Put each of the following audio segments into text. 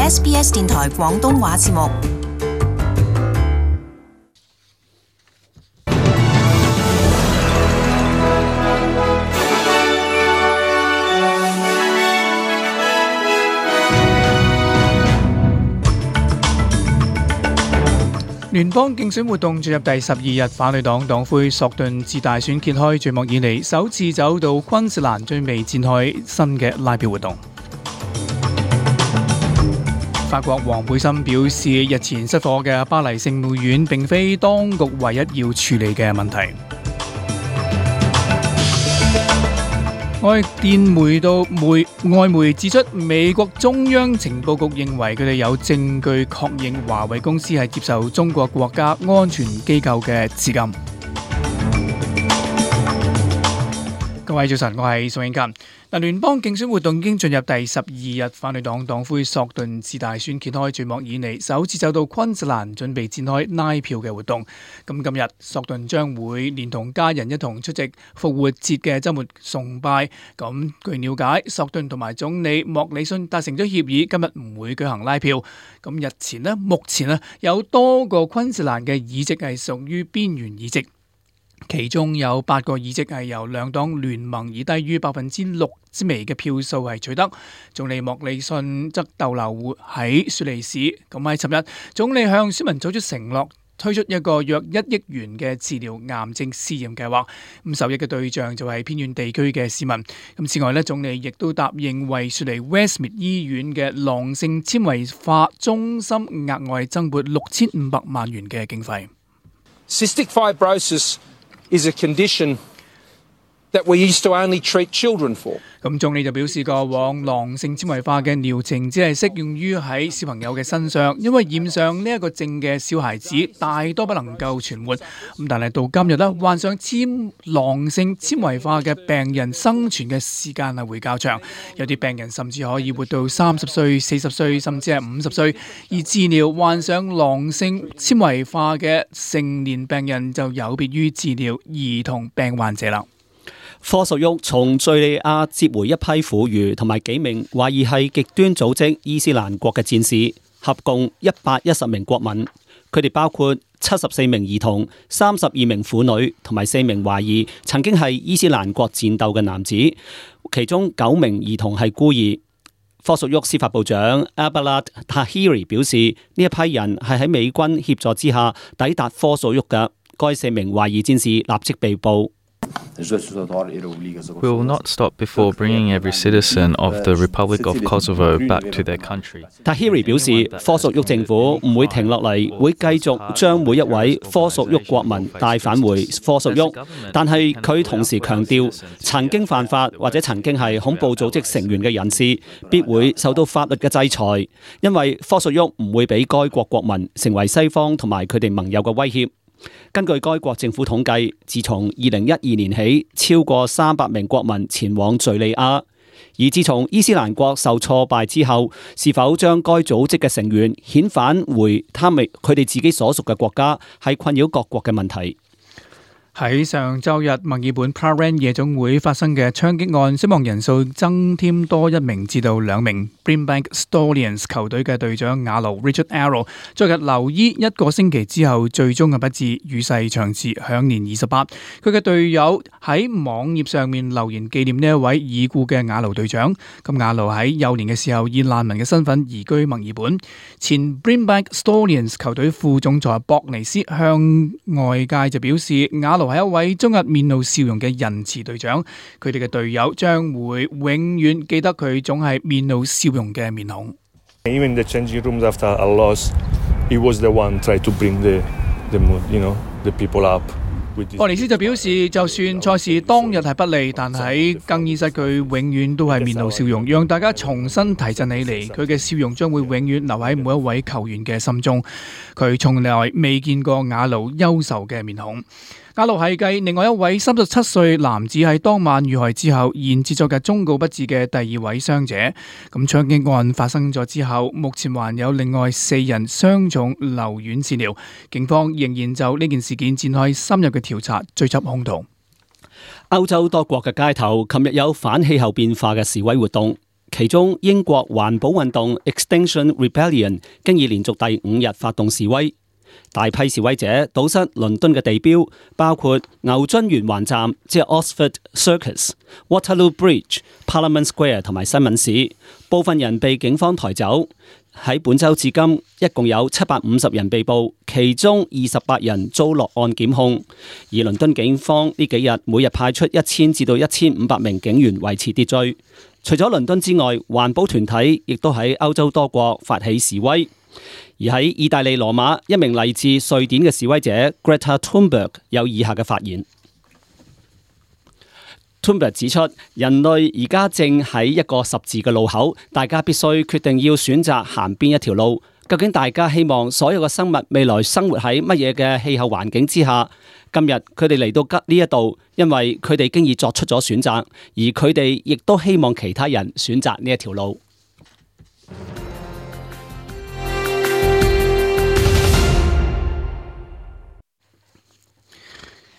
SBS 電台廣東話節目。聯邦競選活動進入第12日，反對黨黨魁索頓自大選揭開序幕以嚟，首次走到昆士蘭，準備展開新嘅拉票活動。法國黃背心表示，日前失火嘅巴黎聖母院並非當局唯一要處理嘅問題。外媒指出，美國中央情報局認為佢哋有證據確認華為公司係接受中國國家安全機構嘅資金。各位早晨，我係宋英勤。聯邦競選活動已經進入第12日，反對黨黨魁索頓自大選揭開序幕以嚟，首次走到昆士蘭，準備展開拉票嘅活動。今日索頓將會連同家人一同出席復活節嘅週末崇拜。咁據了解，索頓同埋總理莫里遜達成咗協議，今日唔會舉行拉票。咁目前有多個昆士蘭嘅議席係屬於邊緣議席。其中有8個議席係由兩黨聯盟以低於6%之微嘅票數係取得。總理莫里遜則逗留喺雪梨市。咁喺尋日，總理向選民做出承諾，推出一個約1億元嘅治療癌症試驗計劃。受益嘅對象就係偏遠地區嘅市民。此外總理亦都答應為雪梨 Westmead 醫院嘅囊性纖維化中心額外增撥6500萬元嘅經費。Cystic fibrosis is a condition that we used to only treat children for. 總理就表示，過往囊性纖維化嘅療程只係適用於喺小朋友嘅身上，因為染上呢一個症嘅小孩子大多不能夠存活。但係到今日患上囊性纖維化嘅病人生存嘅時間係會較長，有啲病人甚至可以活到30歲、40歲，甚至係50歲。而治療患上囊性纖維化嘅成年病人就有別於治療兒童病患者啦。科索沃從敘利亞接回一批婦孺同埋幾名懷疑係極端組織伊斯蘭國嘅戰士，合共110名國民。佢哋包括74名兒童、32名婦女同埋4名懷疑曾經係伊斯蘭國戰鬥嘅男子，其中9名兒童係孤兒。科索沃司法部長 Abdullah Tahiri 表示，呢一批人係喺美軍協助之下抵達科索沃嘅。該4名懷疑戰士立即被捕。We will not stop before bringing every citizen of the Republic of Kosovo back to their country. Tahiri 表示，科索沃政府唔會停落嚟，會繼續將每一位科索沃國民帶返回科索沃。但係佢同時強調，曾經犯法或者曾經係恐怖組織成員嘅人士，必會受到法律嘅制裁，因為科索沃唔會俾該國國民成為西方同埋佢哋盟友嘅威脅。根據該國政府統計，自從2012年起，超過300名國民前往敘利亞。而自從伊斯蘭國受挫敗之後，是否將該組織嘅成員遣返回佢哋自己所屬嘅國家，係困擾各國嘅問題。喺上週日，墨爾本 Prahran 夜總會發生嘅槍擊案，死亡人數增添多1名至到2名。Brimbank Stallions 球隊嘅隊長亞奴 Richard Arrow 昨日留醫1個星期之後，最終嘅不治，與世長辭，享年28。佢嘅隊友喺網頁上面留言紀念呢一位已故嘅亞奴隊長。亞奴喺幼年嘅時候以難民嘅身份移居墨爾本。前 Brimbank Stallions 球隊副總裁博尼斯向外界就表示，亞奴係一位終日面露笑容嘅仁慈隊長，佢哋嘅隊友將會永遠記得佢總係面露笑容嘅面孔。Even the changing rooms after a loss, he was the one try to bring the mood, the people up. 博尼斯就表示，就算賽事當日係不利，但喺更衣室佢永遠都係面露笑容，讓大家重新提振起嚟。佢嘅笑容將會永遠留喺每一位球員嘅心中。佢從來未見過亞奴憂愁嘅面孔。亞奴係繼另外一位37歲男子喺當晚遇害之後，延至昨日終告不治嘅第2位傷者。槍擊案發生咗之後，目前還有另外4人傷重留院治療。警方仍然就呢件事件展開深入嘅調查，追緝兇徒。歐洲多國嘅街頭，琴日有反氣候變化嘅示威活動。其中英國環保運動 Extinction Rebellion 經已連續第5日發動示威，大批示威者堵塞倫敦嘅地標，包括牛津圓環站即係 Oxford Circus、Waterloo Bridge、Parliament Square 同埋新聞市，部分人被警方抬走。喺本週至今，一共有750人被捕，其中28人遭落案檢控。而倫敦警方呢幾日每日派出1000至到1500名警員維持秩序。除咗倫敦之外，環保團體亦都喺歐洲多國發起示威。而喺意大利羅馬，一名嚟自瑞典嘅示威者 Greta Thunberg 有以下嘅發言。Thunberg 指出，人類而家正喺一個十字嘅路口，大家必須決定要選擇行邊一條路。究竟大家希望所有嘅生物未來生活喺乜嘢嘅氣候環境之下？今日佢哋嚟到呢一度，因為佢哋經已作出咗選擇，而佢哋亦都希望其他人選擇呢一條路。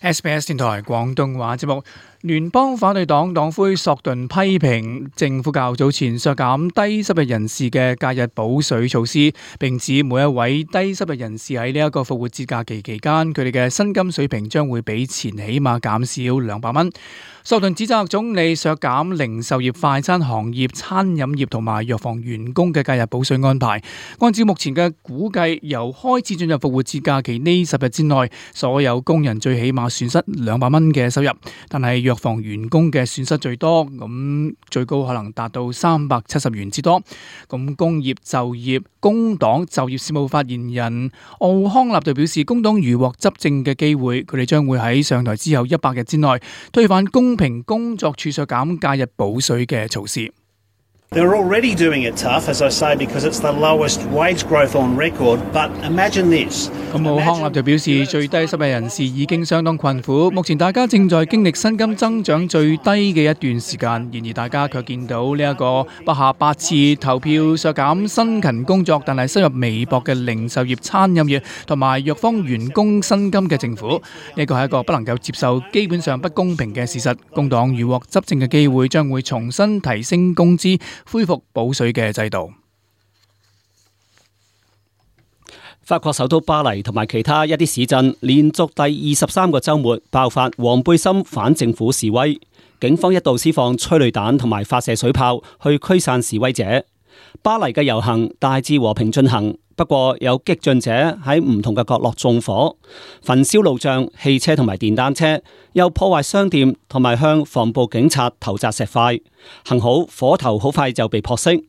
SBS 電台廣東話節目，聯邦反對黨黨魁索頓批評政府較早前削減低收入人士嘅假日補稅措施，並指每一位低收入人士喺呢一個復活節假期期間，佢哋嘅薪金水平將會比前起碼減少200蚊。索頓指責總理削減零售業、快餐行業、餐飲業同埋藥房員工嘅假日補稅安排。按照目前嘅估計，由開始進入復活節假期呢10日之內，所有工人最起碼損失200蚊嘅收入，但係藥房員工嘅損失最多，咁最高可能達到370元之多。咁工業就業工黨就業事務發言人奧康納就表示，工黨如獲執政嘅機會，佢哋將會喺上台之後100日之內推翻公平工作處削減假日補稅嘅措施。They're already doing it tough, as I say, because it's the lowest wage growth on record. But imagine this. 咁奧康納就表示，最低收入人士已經相當困苦，目前大家正在經歷薪金增長最低嘅一段時間。然而大家卻見到呢一個不下8次投票削減辛勤工作但係收入微薄嘅零售業、餐飲業同埋藥房員工薪金嘅政府。呢個係一個不能夠接受、基本上不公平嘅事實。工黨如獲執政嘅機會，將會重新提升工資，恢復補稅嘅制度。法國首都巴黎同埋其他一啲市鎮連續第23個週末爆發黃背心反政府示威，警方一度施放催淚彈同埋發射水炮去驅散示威者。巴黎嘅遊行大致和平進行，不過有激進者喺唔同嘅角落縱火、焚燒路障、汽車同埋電單車，又破壞商店同埋向防暴警察投擲石塊。幸好火頭好快就被撲熄。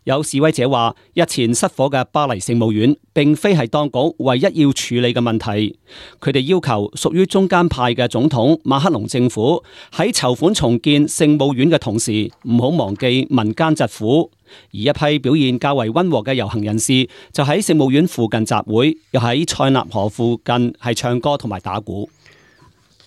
有示威者話，日前失火嘅巴黎聖母院並非係當局唯一要處理嘅問題。佢哋要求屬於中間派嘅總統馬克龍政府喺籌款重建聖母院嘅同時，唔好忘記民間疾苦。而一批表現較為溫和嘅遊行人士就喺聖母院附近集會，又喺塞納河附近係唱歌同埋打鼓。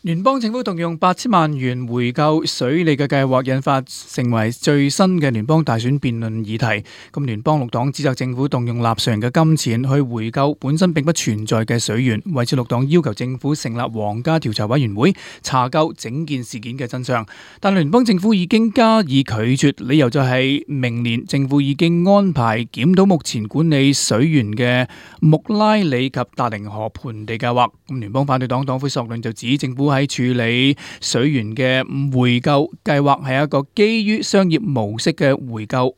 聯邦政府動用8000萬元回購水利嘅計劃引發成為最新嘅聯邦大選辯論議題。咁聯邦綠黨指責政府動用納稅人嘅金錢去回購本身並不存在嘅水源，為此綠黨要求政府成立皇家調查委員會查究整件事件嘅真相。但聯邦政府已經加以拒絕，理由就係明年政府已經安排檢討目前管理水源嘅穆拉里及達靈河盆地計劃。咁聯邦反對黨黨魁索倫就指政府喺處理水源嘅回購計劃係一個基於商業模式嘅回購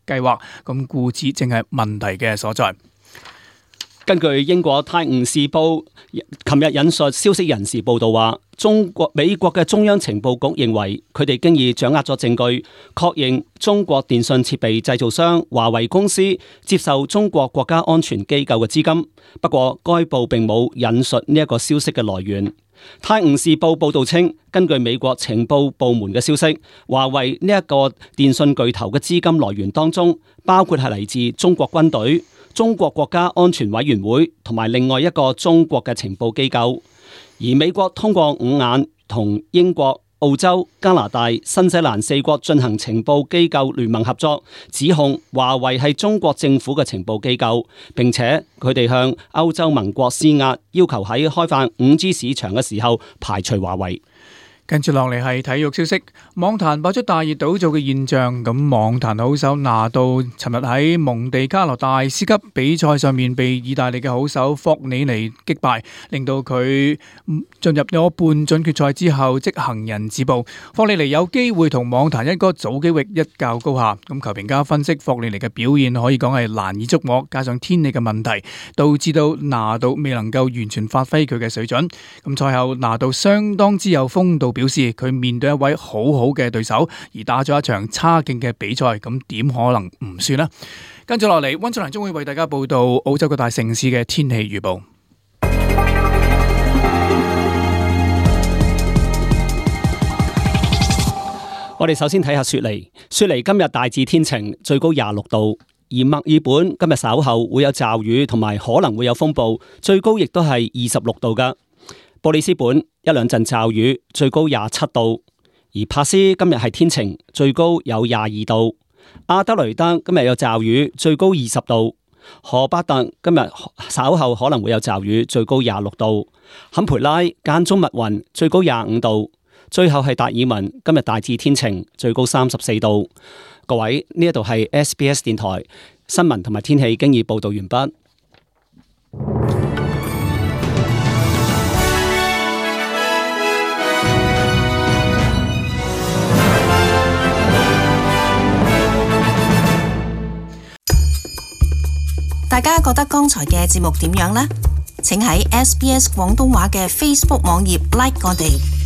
計劃，咁故此正係問題嘅所在。根據英國《泰晤士報》琴日引述消息人士報道話，美國嘅中央情報局認為佢哋經已掌握咗證據，確認中國電信設備製造商華為公司接受中國國家安全機構嘅資金。不過該報並冇引述呢一個消息嘅來源。泰晤士報報道稱，根據美國情報部門嘅消息，華為呢一個電信巨頭嘅資金來源當中，包括係嚟自中國軍隊、中國國家安全委員會同埋另外一個中國嘅情報機構。而美國通過5眼同英國、澳洲、加拿大、新西蘭4國進行情報機構聯盟合作，指控華為係中國政府嘅情報機構，並且佢哋向歐洲盟國施壓，要求喺開放5G 市場嘅時候排除華為。跟住落嚟係體育消息，網壇爆出大熱倒灶嘅現象。咁網壇好手拿度尋日喺蒙地卡羅大師級比賽上面被意大利嘅好手霍里尼擊敗，令到佢進入咗半準決賽之後即行人止步。霍里尼有機會同網壇一哥祖基域一較高下。咁球評家分析霍里尼嘅表現可以講係難以捉摸，加上天氣嘅問題，導致到拿度未能夠完全發揮佢嘅水準。咁賽後拿度相當之有風度，表示佢面對一位好好嘅對手，而打咗一場差勁嘅比賽，咁點可能唔算呢？跟住落嚟，溫俊蘭將會為大家報道澳洲各大城市嘅天氣預報。我哋首先睇下雪梨。雪梨今日大致天晴，最高26度；而墨爾本今日稍後會有驟雨，同埋可能會有風暴，最高亦都係26度噶。布里斯本一兩陣驟雨，最高27度；而珀斯今日係天晴，最高有22度。阿德雷德今日有驟雨，最高20度。荷巴特今日稍後可能會有驟雨，最高26度。坎培拉間中密雲，最高25度。最後係達爾文，今日大致天晴，最高34度。各位，呢一度係 SBS 電台新聞同埋天氣經已報道完畢。大家覺得剛才嘅節目點樣呢？請喺 SBS 廣東話嘅 Facebook 網頁 like 我哋。